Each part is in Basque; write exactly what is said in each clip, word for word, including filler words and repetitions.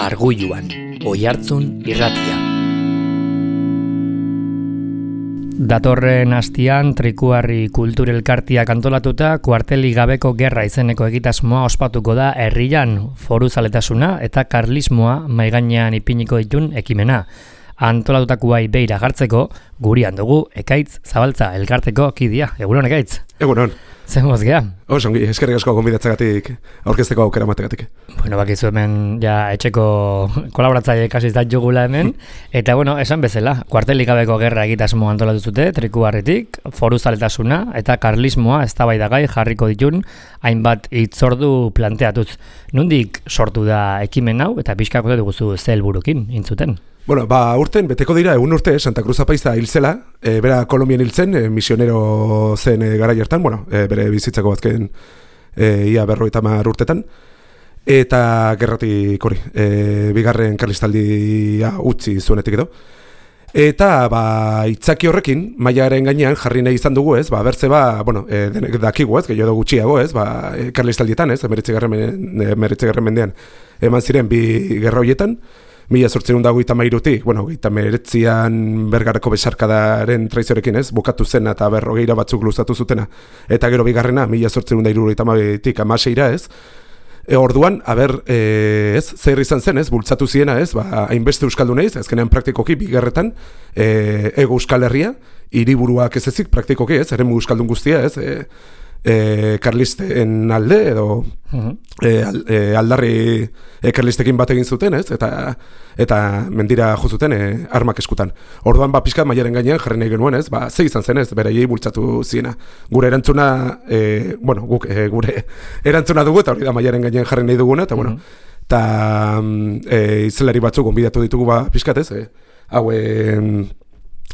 Argulluan, Oihartzun irratia. Datorren astian Trikuharri Kulturelkartiak antolatuta kuarteli gabeko gerra izeneko egitasmoa ospatuko da herrian foruzaletasuna eta karlismoa maigainean ipiniko ditun ekimena. Antolatutakoai beira jartzeko gurian dugu Ekaitz Zabaltza elkarteko kidea. Egunon, Ekaitz? Egunon. Zer mozgea? Oso ongi, eskerrik asko gonbidatzagatik, aurkezteko aukera mategatik. Bueno, bakizu hemen ja etxeko kolaboratzaile kasi izan jugula hemen. Eta bueno, esan bezala, kuartelik gabeko gerra egitasmo antolatu zute, Trikuharritik, foruzaletasuna eta karlismoa eztabaidagai jarriko ditun hainbat hitzordu planteatuz. Nondik sortu da ekimen hau eta pixkako duguzu ze helburukin intzuten? Bueno, ba, urten, beteko dira, egun urte, Santa Cruz Apaiza hil zela, e, bera Kolonbian hil zen, e, misionero zen e, garai hartan, bueno, e, bere bizitzako bazken e, ia berrogeita hamar urtetan, eta gerratik hori, e, bigarren karlistaldia utzi zuenetik edo. Eta, ba, itzaki horrekin, mailaren gainean jarri nahi izan dugu, ez, ba, bertze ba, bueno, e, denek dakigu, ez, gehiago gutxiago, ez, ba, e, karlistaldietan, ez, emeretzigarren mendean eman ziren bi gerra horietan, mila zortziehun eta hogeita hamairutik, bueno, hogeita hemeretzian Bergarako besarkadaren traiziorekin, ez, bukatu zena eta berrogeira batzuk luzatu zutena. Eta gero bigarrena, mila zortziehun eta hirurogeita hamabitik hamaseira, ez. E, orduan, aber, e, ez, zer izan zen, ez, bultzatu ziena, ez, ba, hainbeste euskalduneiz, azkenean praktikoki bigarretan, e, ego Euskal Herria, hiriburuak ez ezik, praktikoki, ez, eremu euskaldun guztia, ez, e, E, karlisten alde edo uh-huh. e, al, e, aldarri e, karlistekin bat egin zuten, ez? Eta, eta mendira jo zuten e, armak eskutan. Orduan, ba, pixka mailaren gainean jarri nahi genuen, ez? Ba, ze izan zen, ez? Beraiei bultzatu ziena. Gure erantzuna, e, bueno, guk e, gure erantzuna dugu, eta hori da mailaren gainean jarri nahi duguna, eta, bueno, eta uh-huh. e, izelari batzuk gonbidatu ditugu, ba, pixkat, ez? E, hau, e,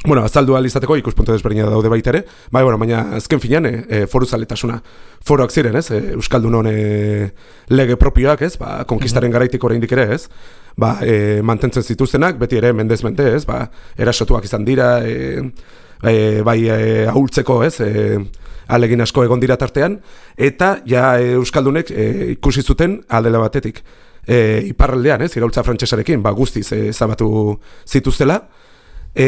bueno, azaldu ahal izateko ikuspuntu desberdina daude baita ere, bai, bueno, baina azken finean e, e, foruzaletasuna foroak ziren, ez, e, Euskaldunon e, lege propioak, ez, ba, konkistaren garaitik oraindik ere, ez, ba, e, mantentzen zituztenak, beti ere mendez mente, ez, ba, erasotuak izan dira, e, e, bai, e, ahultzeko, ez, e, alegin asko egon dira tartean, eta ja e, Euskaldunek e, ikusi zuten aldela batetik, e, iparraldean, ez, iraultza frantsesarekin, ba, guztiz e, zabatu zituztela, E,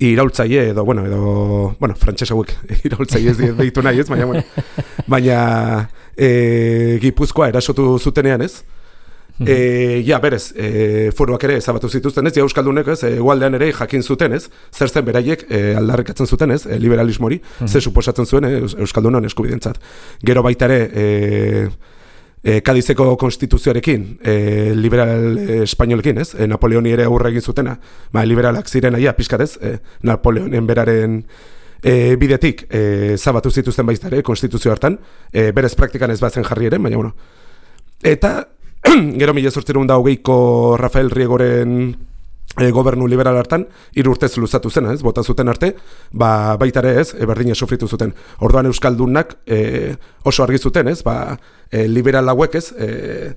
iraultzaile edo, bueno, edo, bueno, frantses hauek iraultzaile ez deitu nahi ez, baina, bueno, baina e, Gipuzkoa erasotu zutenean ez, e, ja, berez, e, foruak ere ezabatu zituzten ez, ja Euskaldunek ez, egualdean ere jakin zuten ez, zer zen beraiek e, aldarrikatzen zuten ez, e, liberalismori, ze suposatzen zuen e, Euskaldunon eskubidentzat. Gero baita ere, e, E, Kadizeko konstituzioarekin, e, liberal e, espainolekin, ez? E, Napoleoni ere aurre egin zutena, ba, liberalak ziren aia, pixkatez, e, Napoleonen beraren e, bidetik e, zabatu zituzten baita ere, konstituzio hartan, e, berez praktikan ez bazen jarri ere, baina, bueno. Eta, gero mila zortziehun eta hogeiko Rafael Riegoren e, gobernu liberal hartan, hiru urtez luzatu zen, ez? Bota zuten arte, ba, baita ere ez, e, berdina sufritu zuten. Orduan Euskaldunak e, oso argi zuten, ez? Ba, e, liberal hauek ez, e,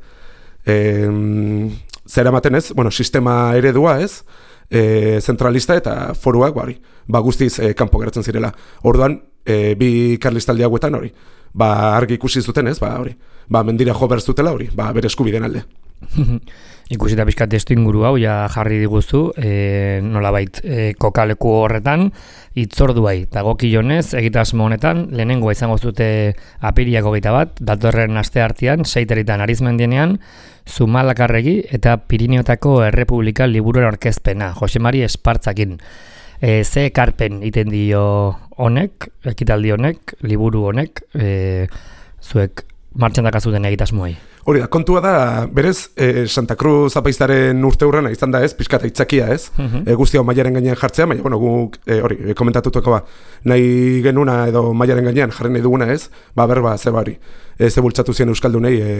e, zer ematen ez, bueno, sistema eredua ez, e, zentralista eta foruak, ba, hori, ba, guztiz e, kanpo geratzen zirela. Orduan, e, bi karlistaldi hauetan hori, ba, argi ikusi zuten ez, ba, hori, ba, mendira jo berzutela hori, ba, bere eskubideen alde. Ikusita pixkat testu inguru hau ja jarri diguzu, e, nolabait e, kokaleku horretan hitzorduai dagokionez egitasmo honetan lehenengoa izango zute apiriak hogeita bat, datorren aste artean seitaritan Arizmendienean Zumalakarregi eta Pirineotako Errepublika liburuen aurkezpena Jose Mari Espartzakin. E, ze ekarpen iten dio honek, ekitaldi honek, liburu honek, e, zuek martxan dakazuten egitasmoai? Hori da, kontua da, berez, e, Santa Cruz Apaizaren urte hurrena izan da ez, pixkata itzakia ez, uh-huh. e, guzti hau mailaren gainean jartzea, baina, bueno, guk, e, hori, e, komentatutuko ba, nahi genuna edo mailaren gainean jarri nahi duguna ez, ba, berba, ze bari, e, ze bultzatu ziren Euskaldunei e,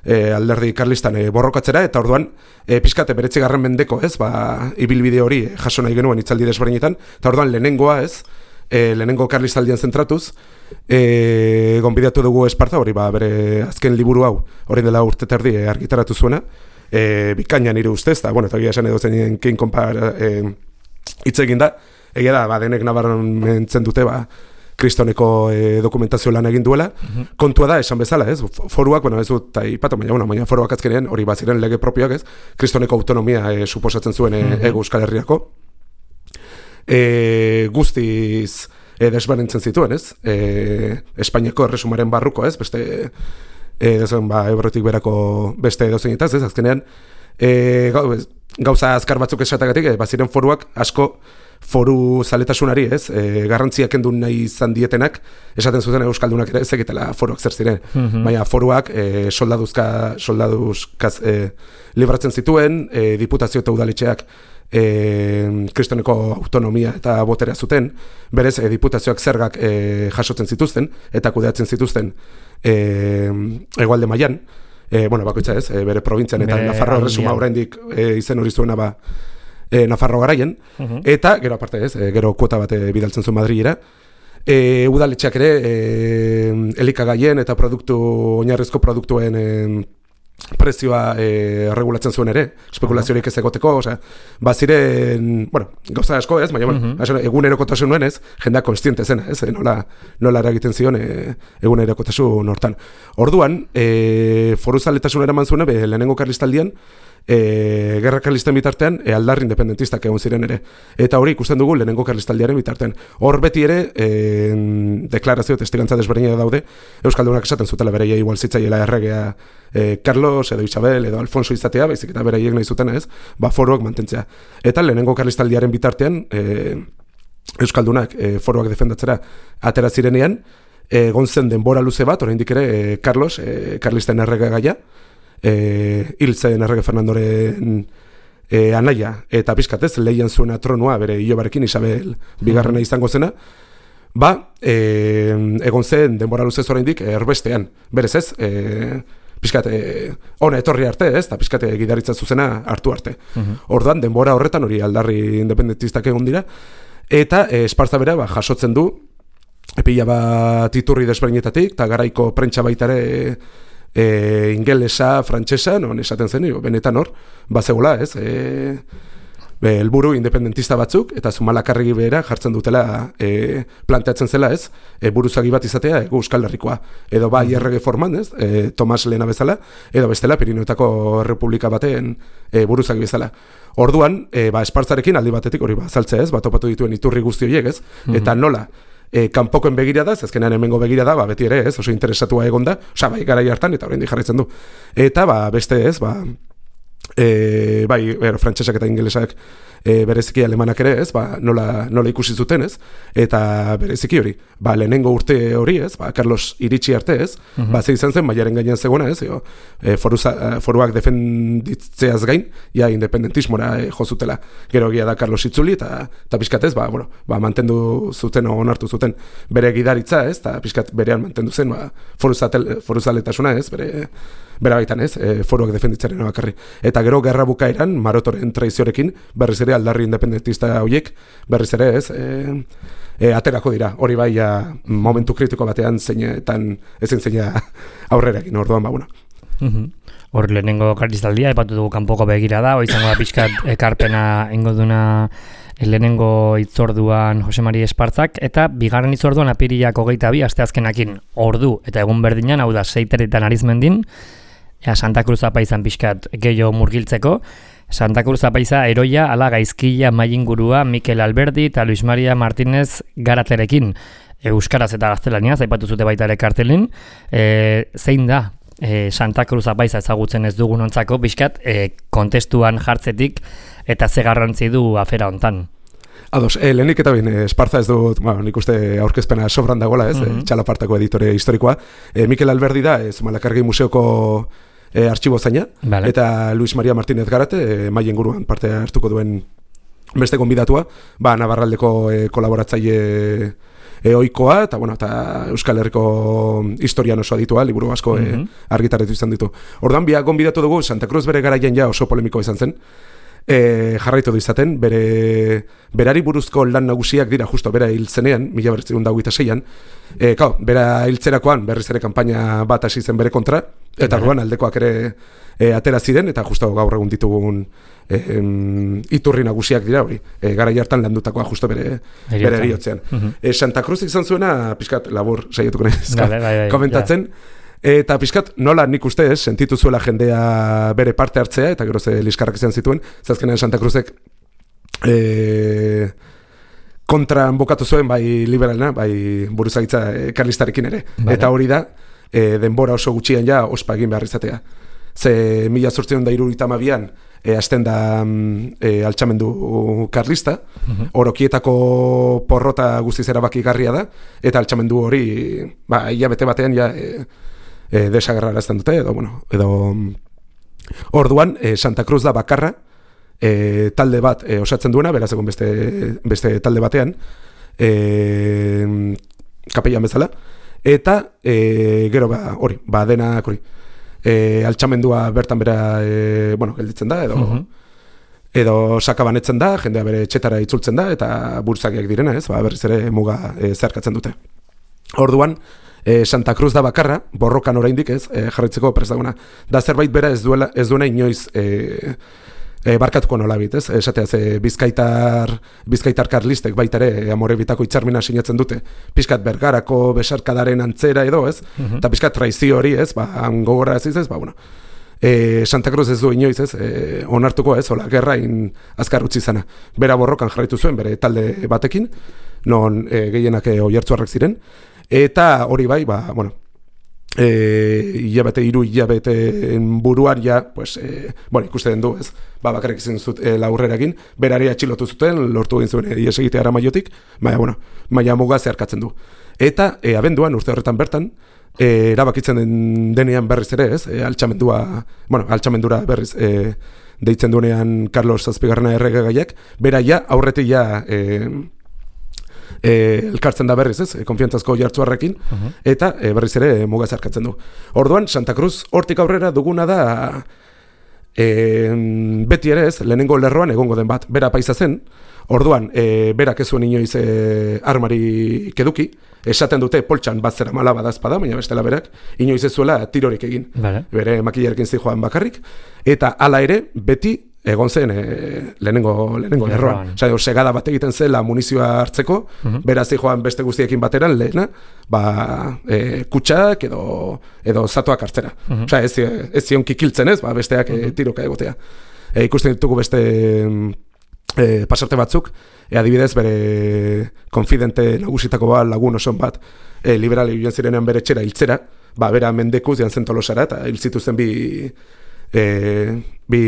e, alderdi karlistan e, borrokatzera, eta orduan, e, pixkate beretzigarren mendeko ez, ba, ibilbide hori e, jaso nahi genuen itzaldi desberdinetan, eta orduan lehenengoa ez, e, lehenengo karlistaldian zentratuz, e, gonbidatu dugu Esparta, hori ba, bere azken liburu hau, hori dela urte terdi e, argitaratu zuena, e, bikaina nire ustez, eta, bueno, eta gira esan edo zenien kein konpar e, hitz egin da, egia da, ba, denek nabarmentzen dute, ba, kristoneko e, dokumentazio lan egin duela. Uh-huh. Kontua da, esan bezala, ez? Foruak, bueno, ez dut aipatu, baina, bueno, baina foruak azkenean hori baziren lege propioak, ez? Kristoneko autonomia e, suposatzen zuen e, uh-huh. ego Euskal Herriako. E, guztiz e, desberdintzen zituen, ez? E, Espainiako erresumaren barruko, ez? Beste, e, dezen, ba, Ebrotik berako beste edozenitaz, ez? Azkenean, e, gauza azkar batzuk esatagatik, e, baziren foruak asko foru zaletasunari, ez, e, garrantziak kendu nahi izan dietenak, esaten zuten euskaldunak ere, ez egitela foruak zer ziren. Mm-hmm. Baina foruak e, soldaduzka, soldaduzkaz e, libratzen zituen, e, diputazio eta udaletxeak e, kristoneko autonomia eta boterea zuten, berez, e, diputazioak zergak e, jasotzen zituzten, eta kudeatzen zituzten e, hegoalde mailan, e, bueno, bakoitza ez, e, bere probintzian, eta bere Nafarro erresuma oraindik e, izen hori zuena ba, E, Nafarro garaien, uh-huh. eta gero aparte ez, e, gero kuota bat e, bidaltzen zuen Madrilera. E, udaletxeak ere e, elikagaien eta produktu, oinarrizko produktuen e, prezioa e, regulatzen zuen ere, espekulaziorik ez egoteko, osea, baziren, bueno, gauza asko ez, baina, uh-huh. bueno, egunerokotasun nuen ez, jendeak konstiente zena, ez, e, nola, nola eragiten zion e, egunerokotasun hortan. Orduan, e, foruzaletasun eraman zuen, be, lehenengo karlistaldian, E, gerra karlisten bitartean e, aldarri independentistak egon ziren ere. Eta hori ikusten dugu lehenengo karlistaldiaren bitartean. Hor beti ere, e, deklarazio testigantza desberdina daude, euskaldunak esaten zutela bereia igual zitzaiela erregea e, Carlos edo Isabel edo Alfonso izatea, baizik eta bereiek nahi zutena ez, ba foruak mantentzea. Eta lehenengo karlistaldiaren bitartean, e, euskaldunak e, foruak defendatzera atera zirenean, egon zen denbora luze bat, oraindik ere e, Carlos, e, karlisten errege gaia, E, hiltzen errege Fernandoren e, anaia eta pizkatez lehian zuena tronua bere ilobarekin Isabel bigarrena izango zena, ba e, egon zen denbora luzez oraindik erbestean, berez ez e, pizkate ona etorri arte ez, eta pizkate gidaritza zuzena hartu arte. Uh-huh. Orduan denbora horretan hori aldarri independentistak egon dira, eta e, Esparza bera ba, jasotzen du pila bat iturri desberdinetatik, eta garaiko prentsa baita ere E, ingelesa, frantsesa, non esaten zen, benetan hor, bazegola, ez, e, be, helburu independentista batzuk, eta Zumalakarregi behera jartzen dutela e, planteatzen zela, ez, e, buruzagi bat izatea, ego Euskal Herrikoa, edo bai errege forman, ez, e, Tomas Lehena bezala, edo bestela Pirinioetako Republika baten e, buruzagi bezala. Orduan, e, ba, Espartzarekin aldi batetik hori ba, saltzea, ez, bat topatu dituen iturri guzti horiek, ez, eta nola, E, kanpokoen begirada, azkenean hemengo begirada, ba, beti ere, ez, oso interesatua egonda, osea, bai, garai hartan, eta oraindik jarraitzen du. Eta, ba, beste ez, ba, e, bai, ero, frantsesak eta ingelesak e, bereziki alemanak ere, ez, ba, nola, nola ikusi zuten, ez, eta bereziki hori, ba, lehenengo urte hori, ez, ba, Carlos iritsi arte, ez, uh-huh. ba, ze izan zen, maiaren gainean zegoena, ez, jo, e, foruza, foruak defenditzeaz gain, ja, independentismora e, jozutela, gero egia da Carlos itzuli, eta, eta pixkat ez, ba, bueno, ba, mantendu zuten, onartu zuten, bere gidaritza, ez, eta pixkat berean mantendu zen, ba, foruzaletasuna, ez, bere, bera baitan, ez, e, foruak defenditzaren bakarri. Eta gero gerra bukaeran, Marotoren traiziorekin, berriz ere aldarri independentista horiek, berriz ere, ez, e, e, aterako dira. Hori bai, ja, momentu kritiko batean zeinetan, ezin zeina aurrera egin, orduan, ba, bueno. Uh-huh. Hor lehenengo karlistaldia, epatu dugu kanpoko begira da, hori izango da pixkat ekarpena ingo duna lehenengo itzorduan Jose Mari Espartzak, eta bigarren itzorduan apirilak hogeita bi, asteazkenakin ordu, eta egun berdinan, hau da, seiteretan Arizmendin, ja, Santa Cruz apaizan pixkat gehiago murgiltzeko, Santa Cruz apaiza eroia, ala gaizkila mailingurua Mikel Alberdi eta Luis Maria Martínez Garaterekin, euskaraz eta gaztelaniaz, aipatu zute baita ere kartelin, e, zein da, E, Santa Cruz apaiza ezagutzen ez dugunontzako pixkat e, kontestuan jartzetik eta ze garrantzi du afera hontan. Ados, e, lehenik eta bin, Esparza ez dut, bueno, nik uste aurkezpena sobran dagoela, ez, mm-hmm. e, Txalapartako editore historikoa. E, Mikel Alberdi da, ez Zumalakarregi museoko e, artxibo zaina, vale. Eta Luis Maria Martínez Garate, e, maien guruan parte hartuko duen beste gonbidatua, ba, Navarraldeko e, kolaboratzaile E, oikoa, eta bueno, eta Euskal Herriko historian oso aditua, liburu asko mm-hmm. e, argitaretu izan ditu. Ordan biak gonbidatu dugu, Santa Cruz bere garaian ja oso polemiko izan zen, e, jarraitu du izaten, bere, berari buruzko lan nagusiak dira justo bera hil zenean, mila bederatziehun eta hogeita seian, e, kao, bera hiltzerakoan berriz ere kanpaina bat hasi zen bere kontra, eta orduan aldekoak ere e, atera ziren, eta justo gaur egun ditugun e, em, iturri nagusiak dira hori, e, gara jartan landutakoa justo bere, bere eriotzean. Uh-huh. e, Santa Cruz izan zuena, pixkat labur saietuko nahiz, komentatzen, ja. Eta pixkat, nola nik uste ez, sentitu zuela jendea bere parte hartzea, eta gero ze liskarrak izan zituen, zazkenean Santa Cruzek e, kontran bokatu zuen, bai liberalena, bai buruzagitza e, karlistarekin ere. Vale. Eta hori da, e, denbora oso gutxian ja ospa egin behar izatea. Ze mila zortziehun eta hirurogeita hamabian e, hasten da e, altxamendu karlista, uh-huh. Orokietako porrota guztiz erabakigarria da, eta altxamendu hori, ba, hilabete batean ja... E, E, desagerrarazten dute, edo, bueno, edo orduan, e, Santa Cruz da bakarra, e, talde bat e, osatzen duena, beraz egon beste, beste talde batean, e, kapellan bezala, eta e, gero ba, hori, ba, denak hori, e, altxamendua bertan bera, e, bueno, gelditzen da, edo, uh-huh. edo sakabanetzen da, jendea bere txetara itzultzen da, eta burtzakiak direna, ez, ba, berriz ere muga e, zeharkatzen dute. Orduan, E, Santa Cruz da bakarra, borrokan oraindik ez, e, jarraitzeko prest dagoena. Da zerbait bera ez duela ez duena inoiz e, e, barkatuko nolabit, ez? Esatea ze bizkaitar, bizkaitar karlistek baita ere e, amore bitako hitzarmena sinatzen dute. Pizkat Bergarako besarkadaren antzera edo, ez? Uh-huh. Ta pizkat traizio hori, ez? Ba, gogorra ez ez, ba bueno. E, Santa Cruz ez du inoiz, ez? E, onartuko, ez? Hola, gerrain azkar utzi izana. Bera borrokan jarraitu zuen bere talde batekin, non e, gehienak e, oihartzuarrak ziren. Eta hori bai, ba, bueno, e, hilabete, hiru hilabeteen buruan ja, pues, e, bueno, ikusten du, ez, ba, bakarrik izan zut e, laurrerakin, berari atxilotu zuten, lortu egin zuen ies egitea Aramaiotik, baina, bueno, maila muga zeharkatzen du. Eta, e, abenduan, urte horretan bertan, e, erabakitzen den, denean berriz ere, ez, e, altxamendua, bueno, altxamendura berriz, e, deitzen duenean Carlos Zazpigarrena erregegaiak, bera ja, aurretik ja, e, E, elkartzen da berriz, ez, konfiantzazko jartzuarrekin, uh-huh. eta e, berriz ere e, muga zarkatzen du. Orduan, Santa Cruz hortik aurrera duguna da e, beti ere ez, lehenengo lerroan egongo den bat, bera paisa zen, orduan, e, berak ez zuen inoiz e, armarik eduki, esaten dute poltsan bat zera mala badazpada, baina bestela berak, inoiz ez zuela tirorik egin, vale. Bere makilarekin zijoan bakarrik, eta hala ere, beti, egon zen e, lehenengo, lehenengo lerroan. Osa, segada bat egiten zela munizioa hartzeko, uh-huh. beraz joan beste guztiekin bateran, lehena, ba, e, kutsak edo, edo zatuak hartzera. Uh-huh. Osa, ez, ez zion kikiltzen ez, ba, besteak uh-huh. e, tiroka egotea. E, ikusten ditugu beste e, pasarte batzuk, e, adibidez, bere konfidente nagusitako bat, lagun oson bat, e, liberali joan zirenean bere txera hiltzera, ba, bera mendekuz joan zen Tolosara, eta hil zituzten bi... E, bi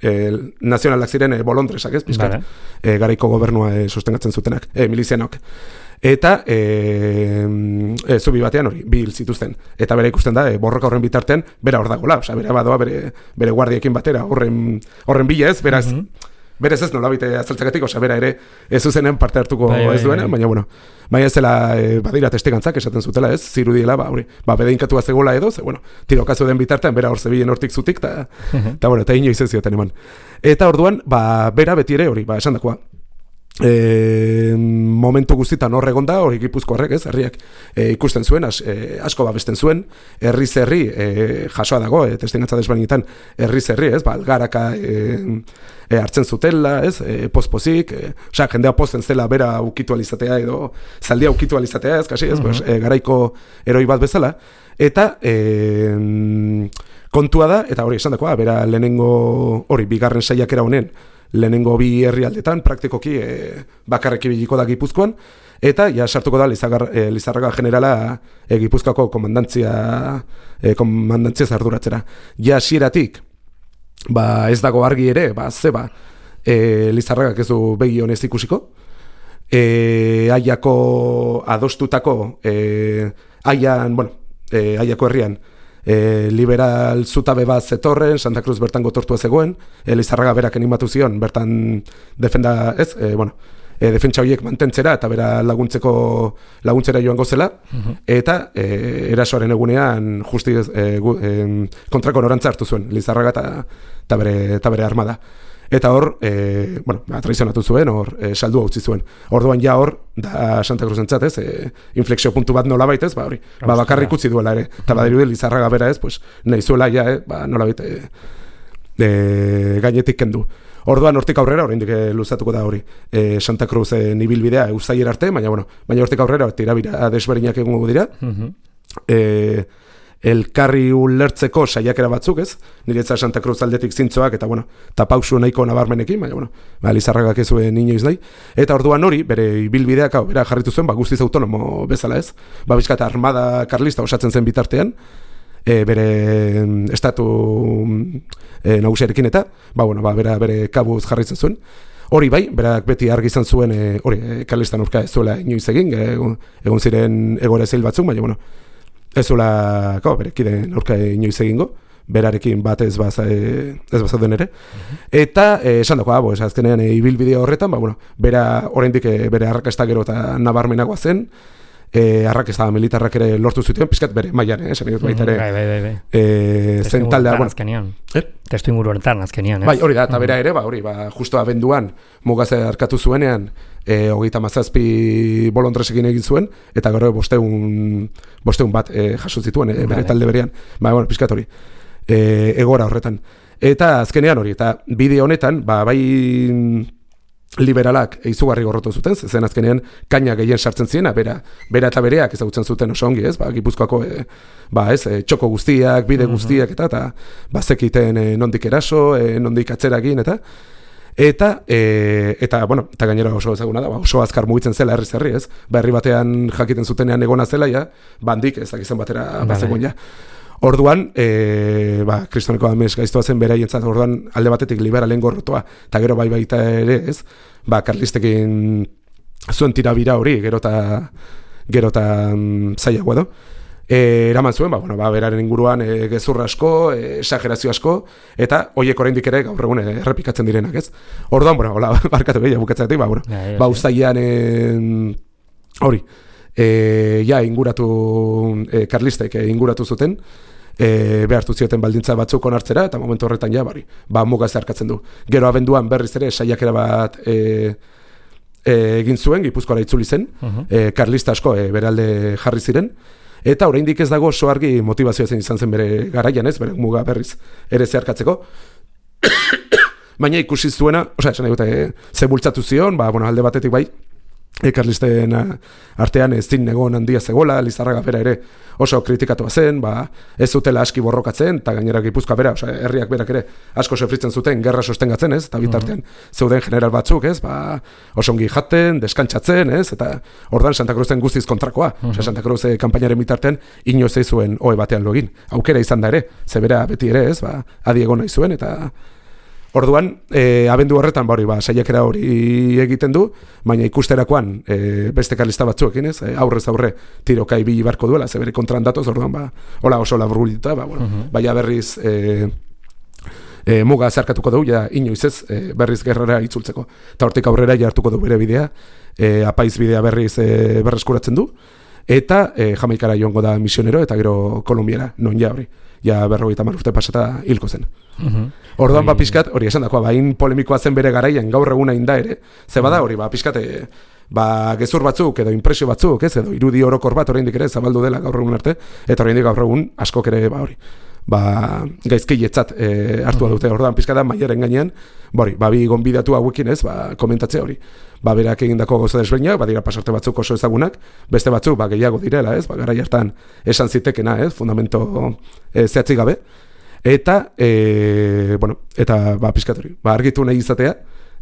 E, nazionalak ziren e, bolondresak, ez, pizkat, vale. e, garaiko gobernua e, sostengatzen zutenak, e, milizianok. Eta e, e, zubi batean hori, bi hil zituzten. Eta bere ikusten da, e, borroka horren bitartean, bera hor dagoela, osea, bera badoa bere, bere guardiekin batera, horren, horren bila ez, beraz, mm-hmm. berez ez nolabite azaltzakatik, osea, bera ere ez zuzenen parte hartuko bai, ez duena, bai, bai. Baina, bueno, baina ez zela, e, badira testegantzak esaten zutela, ez, zirudiela, ba, hori, ba, bedeinkatua zegoela edo, ze, bueno, tirokazu den bitartean, bera hor zebilen hortik zutik, eta, eta, bueno, eta inoiz ez zioten eman. Eta orduan, ba, bera beti ere hori, ba, esan dakoa, E, momentu guztitan hor egon da, hori Gipuzkoarrek, ez, herriak e, ikusten zuen, as, e, asko babesten zuen, herriz herri, e, jasoa dago, e, testinatza desbainetan, herriz herri, ez, ba, algaraka e, e, hartzen zutela, ez, e, pospozik, e, osea, jendea posten zela bera ukitu alizatea, edo zaldia ukitu alizatea, ez, kasi, ez, uh-huh. pues, e, garaiko heroi bat bezala, eta e, kontua da, eta hori esan dakoa, bera lehenengo, hori, bigarren saiakera honen, lehenengo bi herrialdetan praktikoki e, bakarrik ibiliko da Gipuzkoan, eta ja sartuko da Lizagar, e, Lizarraga generala e, Gipuzkoako komandantzia e, komandantzia arduratzera. Ja hasieratik ba ez dago argi ere, ba zeba e, Lizarragak ez du begi honez ikusiko. E, aiako adostutako e, aian, bueno, e, aiako herrian E, liberal zutabe bat zetorren, Santa Cruz bertan gotortua zegoen, e, Lizarraga berak animatu zion, bertan defenda, ez, e, bueno, e, defentsa horiek mantentzera, eta bera laguntzeko laguntzera joango zela, uh-huh. eta e, erasoaren egunean justi e, gu, e, kontrako norantza hartu zuen, Lizarraga eta bere, bere armada. Eta hor, e, bueno, ba, traizionatu zuen, hor, e, saldua utzi zuen. Orduan ja hor, da Santa Cruzentzat, ez, e, inflexio puntu bat nola baita ez, ba hori, ba, bakarrik utzi duela ere. Eta badirudi Lizarraga bera ez, pues, nahi zuela ja, eh, ba, nola baita, e, e, gainetik kendu. Orduan hortik aurrera, oraindik luzatuko da hori, e, Santa Cruzen ibilbidea uztailera arte, baina, bueno, baina hortik aurrera, tirabira desberdinak egongo dira. Uh-huh. e, elkarri ulertzeko saiakera batzuk, ez? Niretzat Santa Cruz aldetik zintzoak, eta, bueno, eta pausu nahiko nabarmenekin, baina, bueno, ba, Lizarragak ez zuen inoiz nahi. Eta orduan hori, bere ibilbideak, hau, bera jarritu zuen, ba, guztiz autonomo bezala, ez? Ba, bizkat, armada karlista osatzen zen bitartean, e, bere estatu e, nagusiarekin eta, ba, bueno, ba, bera bere kabuz jarritzen zuen. Hori bai, berak beti argi izan zuen, e, hori, e, karlistan aurka ez zuela inoiz egin, egon, egon ziren egore zeil batzuk, baina, bueno, ez zuela, ko, bere kideen aurka inoiz egingo, berarekin bat ez baza, e, ez bazauden ere. Uh-huh. Eta, esan dako, bo, azkenean e, ibilbideo horretan, ba, bueno, bera, oraindik e, bere arrakasta gero eta nabarmenagoa zen, E, arrakesta militarrak ere lortu zuten, pizkat bere mailan, eh, esan dut baita ere. Bai, bai, bai, bai. Eh, zen taldea, bueno, azkenian. Eh? Testu inguru honetan azkenian, ez? Bai, hori da, eta bera ere, ba, hori, ba, justo abenduan mugaze arkatu zuenean, eh, hogeita mazazpi bolondresekin egin zuen, eta gero bosteun, bosteun bat eh, jaso zituen, eh, bere talde berean. Ba, bueno, pizkat hori. Eh, egora horretan. Eta azkenean hori, eta bideo honetan, ba, bai liberalak izugarri gorrotu zuten, zen azkenean kaina gehien sartzen ziena, bera, bera eta bereak ezagutzen zuten oso ongi, ez? Ba, Gipuzkoako e, ba, ez, e, txoko guztiak, bide guztiak eta eta bazekiten e, nondik eraso, e, nondik atzera egin eta eta e, eta bueno, eta gainera oso ezaguna da, ba, oso azkar mugitzen zela herriz herri, ez? Ba, herri batean jakiten zutenean egona zela ja, bandik ez dakizan batera bazegoen ja. Orduan, e, ba, kristoneko amez gaiztoa zen beraientzat, orduan alde batetik liberalen gorrotoa, eta gero bai baita ere, ez? Ba, karlistekin zuen tirabira hori, gero eta gero eta mm, zailagoa edo. E, eraman zuen, ba, bueno, ba, beraren inguruan e, gezurra asko, e, exagerazio asko, eta horiek oraindik ere gaur egun errepikatzen direnak, ez? Orduan, bueno, hola, barkatu behia bukatzatik, ba, bueno, ja, ja, ba, uztailean hori, e, ja, inguratu, e, karlistek e, inguratu zuten, E, behartu zioten baldintza batzuk onartzera, eta momentu horretan ja, bari, ba, muga zeharkatzen du. Gero abenduan berriz ere saiakera bat e, e, egin zuen, Gipuzkoara itzuli zen, uh-huh. e, karlista asko e, beralde jarri ziren, eta oraindik ez dago oso argi motivazioa zen izan zen bere garaian, ez, bere muga berriz ere zeharkatzeko. Baina ikusi zuena, osea, esan egote, e, ze bultzatu zion, ba, bueno, alde batetik bai, E, karlisten artean ez zin egon handia zegoela, Lizarraga bera ere oso kritikatua zen, ba, ez zutela aski borrokatzen, eta gainera Gipuzkoa bera, osea, herriak berak ere asko sofritzen zuten, gerra sostengatzen, ez, eta bitartean uh-huh. zeuden general batzuk, ez, ba, osongi jaten, deskantzatzen, ez, eta ordan Santa Cruzen guztiz kontrakoa, uh-huh. osea, Santa Cruz kanpainaren bitartean inoz ez zuen ohe batean login, aukera izan da ere, ze bera beti ere, ez, ba, adi egon nahi zuen, eta orduan, e, abendu horretan, ba, hori, ba, saiakera hori egiten du, baina ikusterakoan e, beste karlista batzuekin, ez, e, aurrez aurre tiroka ibili barko duela, ze bere kontran datoz, orduan, ba, hola oso laburbilita, ba, bueno, uh-huh. baina berriz e, e, muga zeharkatuko dugu, ja, inoiz ez, e, berriz gerrara itzultzeko. Eta hortik aurrera jartuko du bere bidea, e, apaiz bidea berriz e, berreskuratzen du, eta e, Jamaikara joango da misionero, eta gero Kolumbiara, non ja hori. Ja berrogeita hamar urte pasata hilko zen. Uh-huh. Orduan, ba, pixkat, hori esan dakoa, ba, hain polemikoa zen bere garaian, gaur eguna inda ere, ze bada hori, ba, pixkat, ba, gezur batzuk, edo impresio batzuk, ez, edo irudi orokor bat oraindik ere zabaldu dela gaur egun arte, eta oraindik gaur egun askok ere, ba, hori, ba, gaizkietzat e, hartua dute, orduan, pixkat da, mailaren gainean, bori, ba, bi gonbidatu hauekin ez, ba, komentatzea hori, ba, berak egindako gauza desberdinak, badira pasarte batzuk oso ezagunak, beste batzuk, ba, gehiago direla, ez, ba, garai hartan esan zitekena, ez, fundamento e, zehatzik gabe, eta, e, bueno, eta, ba, pixkat hori, ba, argitu nahi izatea,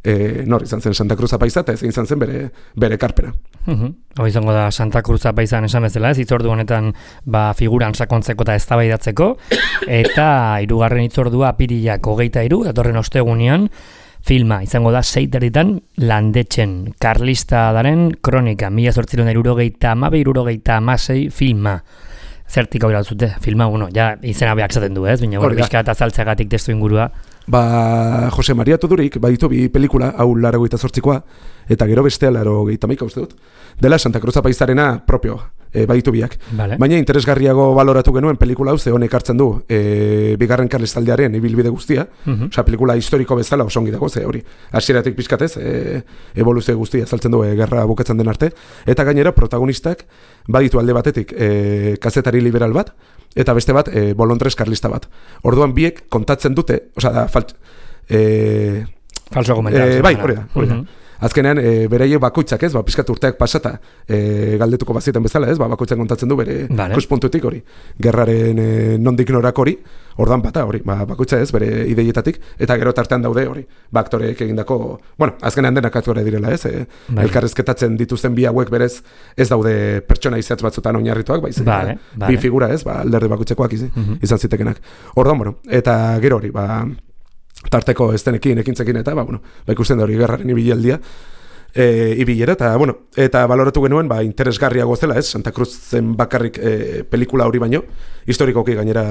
e, nor izan zen Santa Cruz apaiza, eta ez izan zen bere, bere karpena. Uh-huh. Hau izango da Santa Cruz apaizan esan bezala, ez hitzordu honetan ba, figuran sakontzeko eta eztabaidatzeko, eta hirugarren hitzordua apirilak hogeita hiru, datorren ostegunean, filma izango da seiterritan Landetxen, karlista daren kronika, mila zortziron irurogeita hamabi, irurogeita hamasei filma. Zertik hau zute, filma, bueno, ja izena behak zaten du, ez? Baina hori bizka eta zaltzagatik testu ingurua. Ba, Jose Maria Tudurik, baditu bi pelikula, hau laro gehieta zortzikoa, eta gero bestea laro gehieta maika uste dut. Dela Santa Cruz apaizarena propio, e, baditu biak. Vale. Baina interesgarriago baloratu genuen pelikula hau, ze honek hartzen du e, bigarren karlistaldiaren ibilbide guztia, uh-huh. osea, pelikula historiko bezala oso ongi dago, ze hori, hasieratik pizkatez, e, evoluzio guztia azaltzen du e, gerra bukatzen den arte, eta gainera protagonistak baditu alde batetik e, kazetari liberal bat, eta beste bat e, bolondrez karlista bat. Orduan biek kontatzen dute, osea, da, falt... E, Falso komentari. E, bai, hori da, hori da. Uh-huh. Azkenean, e, beraiek bakoitzak, ez, ba, pizkat urteak pasata e, galdetuko bazietan bezala, ez, ba, bakoitzak kontatzen du bere vale. Ikuspuntutik hori, gerraren e, nondik norak hori, ordan bata hori, ba, bakoitza ez, bere ideietatik, eta gero tartean daude hori, ba, aktoreek egindako, bueno, azkenean denak aktore direla, ez, e, vale. Elkarrezketatzen dituzten bi hauek berez, ez daude pertsona izatz batzutan oinarrituak, baizik, vale, ba, vale. bi figura, ez, ba, alderdi bakoitzekoak izi, uh-huh. izan zitekenak. Ordan, bueno, eta gero hori, ba, tarteko estenekin, ekintzekin, eta, ba, bueno, ba, ikusten da hori gerraren ibilaldia, e, ibilera, eta, bueno, eta baloratu genuen, ba, interesgarriago zela, ez, Santa Cruzen bakarrik e, pelikula hori baino, historikoki gainera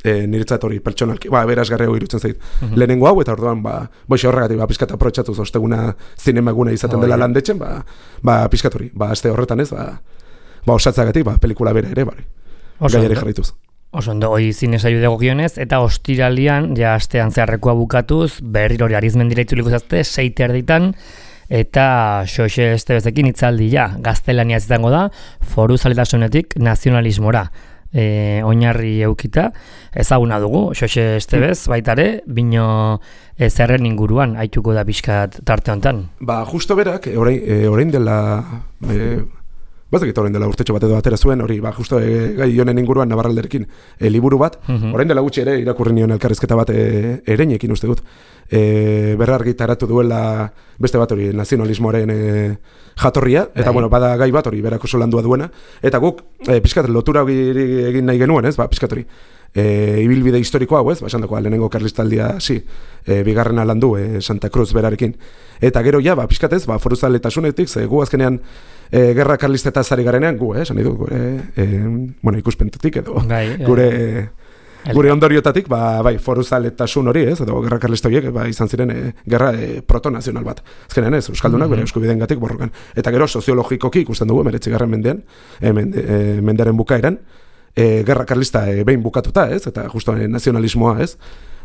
e, niretzat hori pertsonalki, ba, berazgarriago irutzen zait, uh-huh. lehenengo hau, eta orduan, ba, boixe horregatik, ba, pizkat aprotxatuz, osteguna zinemaguna izaten oh, dela yeah. landetzen, ba, ba, pizkat hori, ba, aste horretan ez, ba, ba, osatzagatik, ba, pelikula bera ere, bari, gaiare jarraituz. Oso ondo, hoi zinezaiu degokionez, eta ostiralian, ja astean zeharrekoa bukatuz, berriro hori arizmendira itzuliko zazte, seite erditan, eta Xoxe Estebezekin itzaldi ja, gaztelania izango da, foru zaletasunetik nazionalismora. E, oinarri eukita, ezaguna dugu, Xoxe Estebez, baitare, bino e, zerren inguruan, haituko da pixkat tarte honetan. Ba, justo berak, orain, e, orain dela... E, Bazakit orain dela urtetxo bat edo atera zuen, hori, ba, justo e, gai honen inguruan Navarralderekin e, liburu bat, uh-huh. orain dela gutxi ere irakurri nion elkarrizketa bat e, ereinekin uste dut, e, berrargitaratu duela beste bat hori nazionalismoaren e, jatorria, eta bai. Bueno, bada gai bat hori berako oso landua duena, eta guk e, pizkat lotura egin nahi genuen, ez, ba, pizkat hori, e, ibilbide historiko hau, ez, ba, esan dagoa, lehenengo karlistaldia, si, e, bigarrena landu e, Santa Cruz berarekin, eta gero ja, ba, pizkat ez, ba, foruzaletasunetik, ze gu azkenean, E, gerra karlistetaz ari garenean, gu, eh, esan nahi du, gure, e, bueno, ikuspentutik edo, bai, gure, e, gure ondoriotatik, ba, bai, foruzaletasun hori, ez, edo gerra karlista horiek, ba, izan ziren, e, gerra e, protonazional bat. Ezkenean ez, euskaldunak, mm-hmm. bere eskubideen gatik borrokan. Eta gero, soziologikoki ikusten dugu, emeretzigarren mendean, e, mende, e, mendearen bukaeran, e, gerra karlista e, behin bukatuta, ez, eta justo e, nazionalismoa, ez,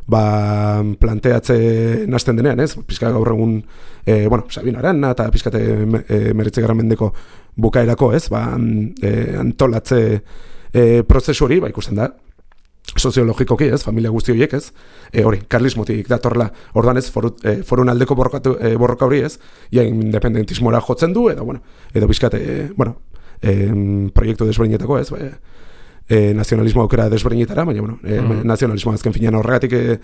ba, planteatze nazten denean, ez? Pizka gaur egun, e, bueno, Sabino Arana eta pizkate e, meretzigarren mendeko bukaerako, ez? Ba, e, antolatze e, prozesu hori, ba, ikusten da, soziologikoki, ez? Familia guzti horiek, ez? E, hori, karlismotik datorla, orduan ez, foru, e, forun aldeko borrokatu, e, borroka hori, ez? Ja, independentismora jotzen du, edo, bueno, edo pizkate, e, bueno, e, proiektu desberdinetako, ez? Ba, E, nazionalismo aukera desberdinetara, baina bueno, e, mm. nazionalismo azken finean horregatik e,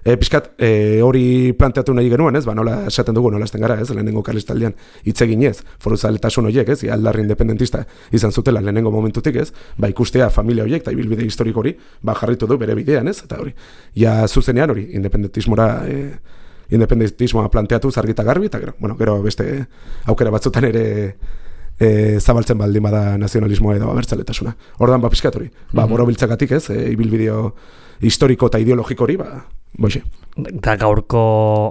e, pizkat e, hori planteatu nahi genuen, ez? Ba, nola esaten dugu, nola esten gara, ez? Lehenengo karlistaldian hitz egin ez, foruzaletasun horiek, ez? Aldarri independentista izan zutela lehenengo momentutik, ez? Ba, ikustea familia horiek eta ibilbide historiko hori, ba, jarritu du bere bidean, ez? Eta hori, ja zuzenean hori, independentismora e, independentismoa planteatu zargita garbi, eta gero, bueno, gero beste aukera batzutan ere E, zabaltzen baldin bada nazionalismoa edo abertzaletasuna. Ordan ba pizkat hori. Ba, borobiltzagatik, ez, e, ibilbideo historiko eta ideologiko hori, ba, boixe. Eta gaurko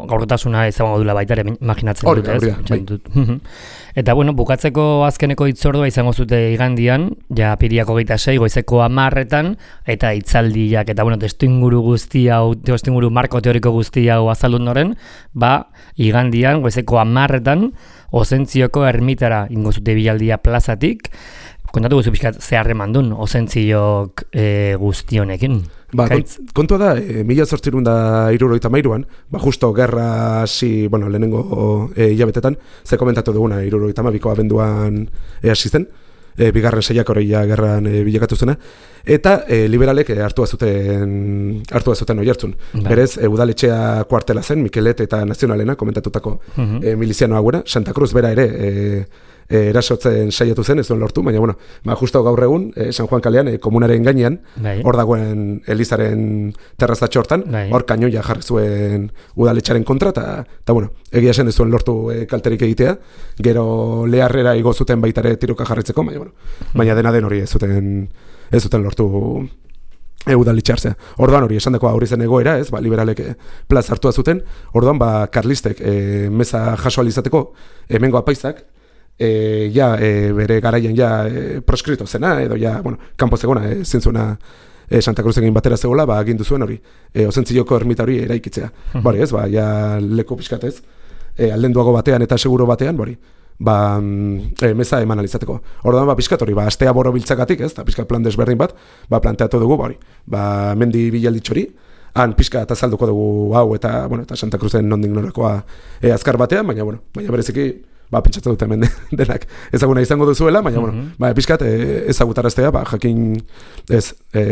gaurkotasuna izango dula baita ere imaginatzen dut, ez? Bai. Eta bueno, bukatzeko azkeneko hitzordua izango zute igandian, ja apiriako hogeita sei, goizeko hamarretan, eta hitzaldiak eta bueno, testuinguru guzti hau, testuinguru marko teoriko guzti hau azaldu ondoren, ba, igandian goizeko hamarretan Osentzioko ermitara ingo zute bilaldia plazatik. Kontatu guzu pixkat ze harremandun Osentziok e, guztionekin. Ba, kont, kontua da, e, mila zortzirun da hirurogeita hamairuan, ba, justo gerra hasi, bueno, lehenengo e, hilabetetan, ze komentatu duguna hirurogeita hamabiko abenduan e, hasi zen, e, bigarren seiak hori ja gerran e, bilakatu zena, eta e, liberalek e, hartua zuten hartua zuten oihartzun. Berez, e, udaletxea kuartela zen, Mikelet eta Nazionalena komentatutako uh-huh. e, miliziano hauera, Santa Cruz bera ere e, e, erasotzen saiatu zen, ez duen lortu, baina, bueno, ba, justo gaur egun, e, San Juan kalean, e, komunaren gainean, hor dagoen Elizaren terrazatxo hortan, hor kainoia jarri zuen udaletxaren kontra, eta, bueno, egia zen ez duen lortu e, kalterik egitea, gero leharrera igo zuten baitare tiroka jarritzeko, baina, bueno, uh-huh. baina dena den hori ez zuten ez zuten lortu udalitxartzea. Orduan hori esan dako aurri zen egoera, ez, ba, liberalek plaz hartua zuten, orduan ba, karlistek e, meza jaso alizateko hemengo apaizak e, ja, e, bere garaian ja e, proskrito zena, edo ja, bueno, kanpo zegona, e, zintzuena e, Santa Cruzekin batera zegoela, ba, agindu zuen hori, e, Ozentziloko ermita hori eraikitzea. Uh-huh. Bari ez, ba, ja leku pixkatez, e, aldenduago batean eta seguro batean, bari, ba, e, meza eman alizateko. Orduan, ba, pixkat hori, ba, astea boro biltzakatik, ez, eta pixkat plan desberdin bat, ba, planteatu dugu, bari, ba, mendi bilalditxori, han pixka eta azalduko dugu hau, eta, bueno, eta Santa Cruzen nondik norakoa e, azkar batean, baina, bueno, baina bereziki, ba, pentsatzen dute hemen denak ezaguna izango duzuela, baina, mm-hmm. bueno, ba, pixkat e, ezagutaraztea, ba, jakin ez, e,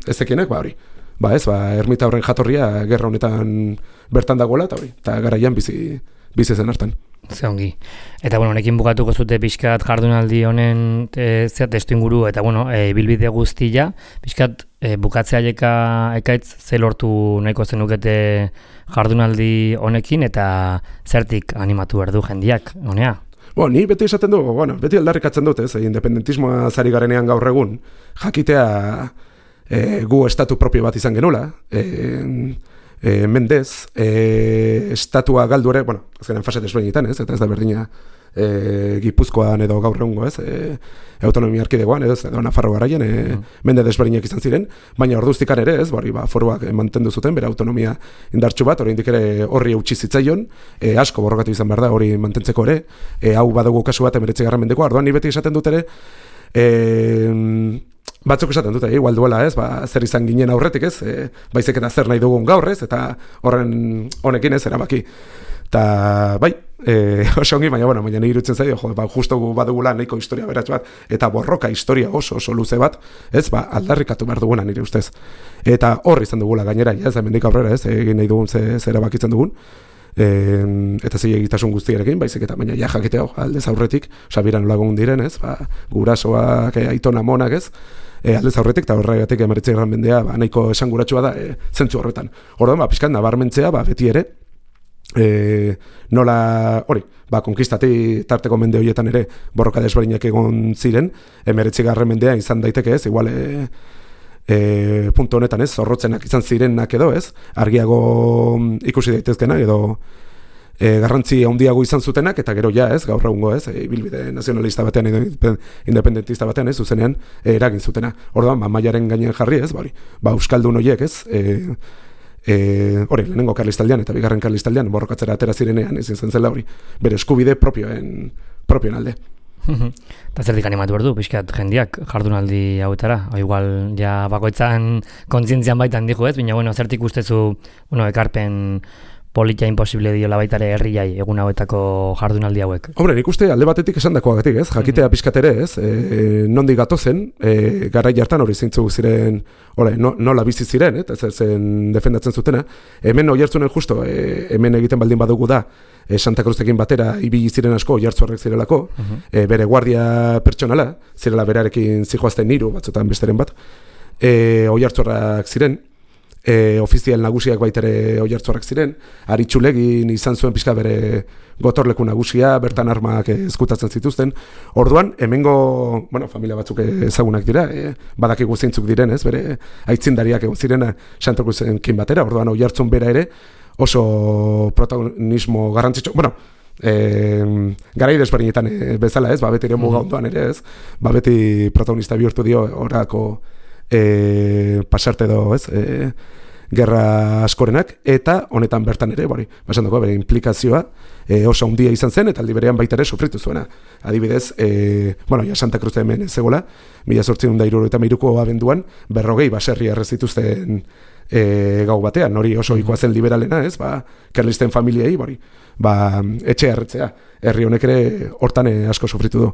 ez ekienek, ba, hori. Ba, ez, ba, ermita horren jatorria gerra honetan bertan dagoela, eta hori, eta garaian bizi, bizi zen hartan. Ze ongi. Eta, bueno, honekin bukatuko zute pixkat jardunaldi honen e, zea testu inguru, eta, bueno, e, bilbide guztia, pixkat e, bukatzea eka, ekaitz ze lortu nahiko zenukete jardunaldi honekin, eta zertik animatu behar du jendiak, honea? Bo, ni beti esaten du, bueno, beti aldarrikatzen dut, ez, independentismoa zari garenean gaur egun, jakitea e, gu estatu propio bat izan genula, e, E, mendez, e, estatua galdu ere, bueno, azkenean fase desberdinetan, ez, eta ez da berdina e, Gipuzkoan edo gaur egungo, ez, e, autonomia erkidegoan, ez, edo Nafarro garaian, e, mm. mende desberdinak izan ziren, baina orduztikan ere, ez, bari, ba, foruak mantendu zuten, bere autonomia indartsu bat, oraindik ere horri eutsi zitzaion, e, asko borrokatu izan behar da, hori mantentzeko ere, e, hau badugu kasu bat emeretzigarren mendeko, orduan ni beti esaten dut ere, e, batzuk esaten dute, igual duela, ez, ba, zer izan ginen aurretik, ez, e, baizik eta zer nahi dugun gaur, ez, eta horren honekin ez, erabaki. Eta, bai, e, oso ongi, baina, bueno, baina nire irutzen zaio, jo, ba, justo badugula nahiko historia beratz bat, eta borroka historia oso, oso luze bat, ez, ba, aldarrikatu behar duguna nire ustez. Eta horri izan dugula gainera, ez, hemendik aurrera, ez, egin nahi dugun ze, ze erabakitzen dugun, e, eta zei egitasun guztiarekin, baizik eta, baina ja jakitea, aldez aurretik, oza, biran lagun diren, ez, ba, gurasoak, e, aitona monak, ez, E, aldez aurretik eta horregatik emeretzi garren mendea ba, nahiko esanguratsua da e, zentzu horretan. Orduan, ba, pixkat nabarmentzea, ba, beti ere, e, nola, hori, ba, konkistati tarteko mende horietan ere borroka desberdinak egon ziren, emeretzi garren mendea izan daiteke ez, igual, e, e, puntu honetan ez, zorrotzenak izan zirenak edo ez, argiago ikusi daitezkena edo, E, garrantzi handiago izan zutenak, eta gero ja, ez, gaur egungo, ez, e, bilbide nazionalista batean edo independentista batean, ez, zuzenean e, eragin zutena. Orduan, ba, mailaren gainean jarri, ez, bari, ba, euskaldun horiek, ez, e, e, hori, lehenengo karlistaldean eta bigarren karlistaldean borrokatzera atera zirenean, ez izan zela hori, bere eskubide propioen, propioen alde. Eta zertik animatu behar du, pixkat jendiak jardunaldi hauetara, o igual, ja, bakoitzan kontzientzian baitan dijo, ez, baina, bueno, zertik ustezu, bueno, ekarpen politia imposible diola baitare herriai egun hauetako jardunaldi hauek. Hombre, nik uste alde batetik esandakoagatik, ez? Jakitea pixkat ere, ez? E, nondik gatozen, e, garai hartan hori zeintzu ziren, hori, no, nola bizi ziren, ez? Ez zen defendatzen zutena. Hemen oihartzunen justo, e, hemen egiten baldin badugu da, e, Santa Cruzekin batera ibili ziren asko oihartzuarrek zirelako, uh-huh. e, bere guardia pertsonala, zirela berarekin zijoazten hiru batzutan besteren bat, e, oihartzuarrak ziren, E, ofizial nagusiak baitere oihartzuarrak ziren, Aritxulegin izan zuen pixka bere gotorleku nagusia, bertan armak ezkutatzen zituzten. Orduan, hemengo, bueno, familia batzuk ezagunak dira, e, badakigu zeintzuk diren, ez, bere aitzindariak egon zirena Santa Cruzenkin batera, orduan oihartzun bera ere oso protagonismo garrantzitsu, bueno, e, garai desberdinetan e, bezala, ez, ba, beti ere muga ondoan ere, ez, ba, beti protagonista bihurtu dio orako E, pasarte edo, ez, e, gerra askorenak, eta honetan bertan ere, bori, basan dago, bere implikazioa e, oso handia izan zen, eta aldi berean baita ere sufritu zuena. Adibidez, e, bueno, ja Santa Cruz hemen zegoela, mila zortziehun eta hirurogeita hamairuko abenduan, berrogei baserri errezituzten e, gau batean, hori oso ikoa zen liberalena, ez, ba, karlisten familiei, bori, ba, etxe erretzea, herri honek ere hortan asko sufritu du.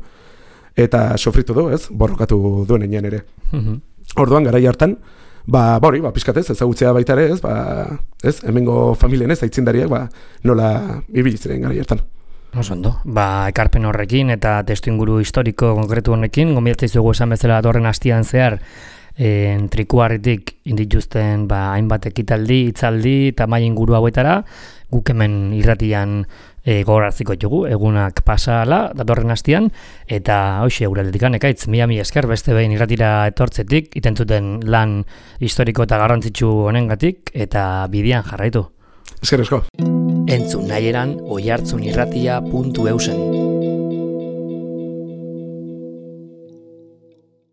Eta sufritu du, ez, borrokatu duen enean ere. Orduan, garai hartan, ba, bori, ba, pixkatez, ezagutzea baita ere, ez, ba, ez, hemengo familien ez, aitzindariak, ba, nola ibilitzen garai hartan. Oso ondo, ba, ekarpen horrekin eta testu inguru historiko konkretu honekin, gombiatzei zugu esan bezala datorren hastian zehar, en, trikuarritik indituzten, ba, hainbat ekitaldi, hitzaldi eta mai inguru hauetara, guk hemen irratian e, gogoratziko ditugu, egunak pasala datorren hastian, eta hoxe euraldetik ekaitz, mila mi esker beste behin irratira etortzetik, itentzuten lan historiko eta garrantzitsu honengatik, eta bidean jarraitu. Esker esko. Entzun nahieran oihartzunirratia puntu eusen.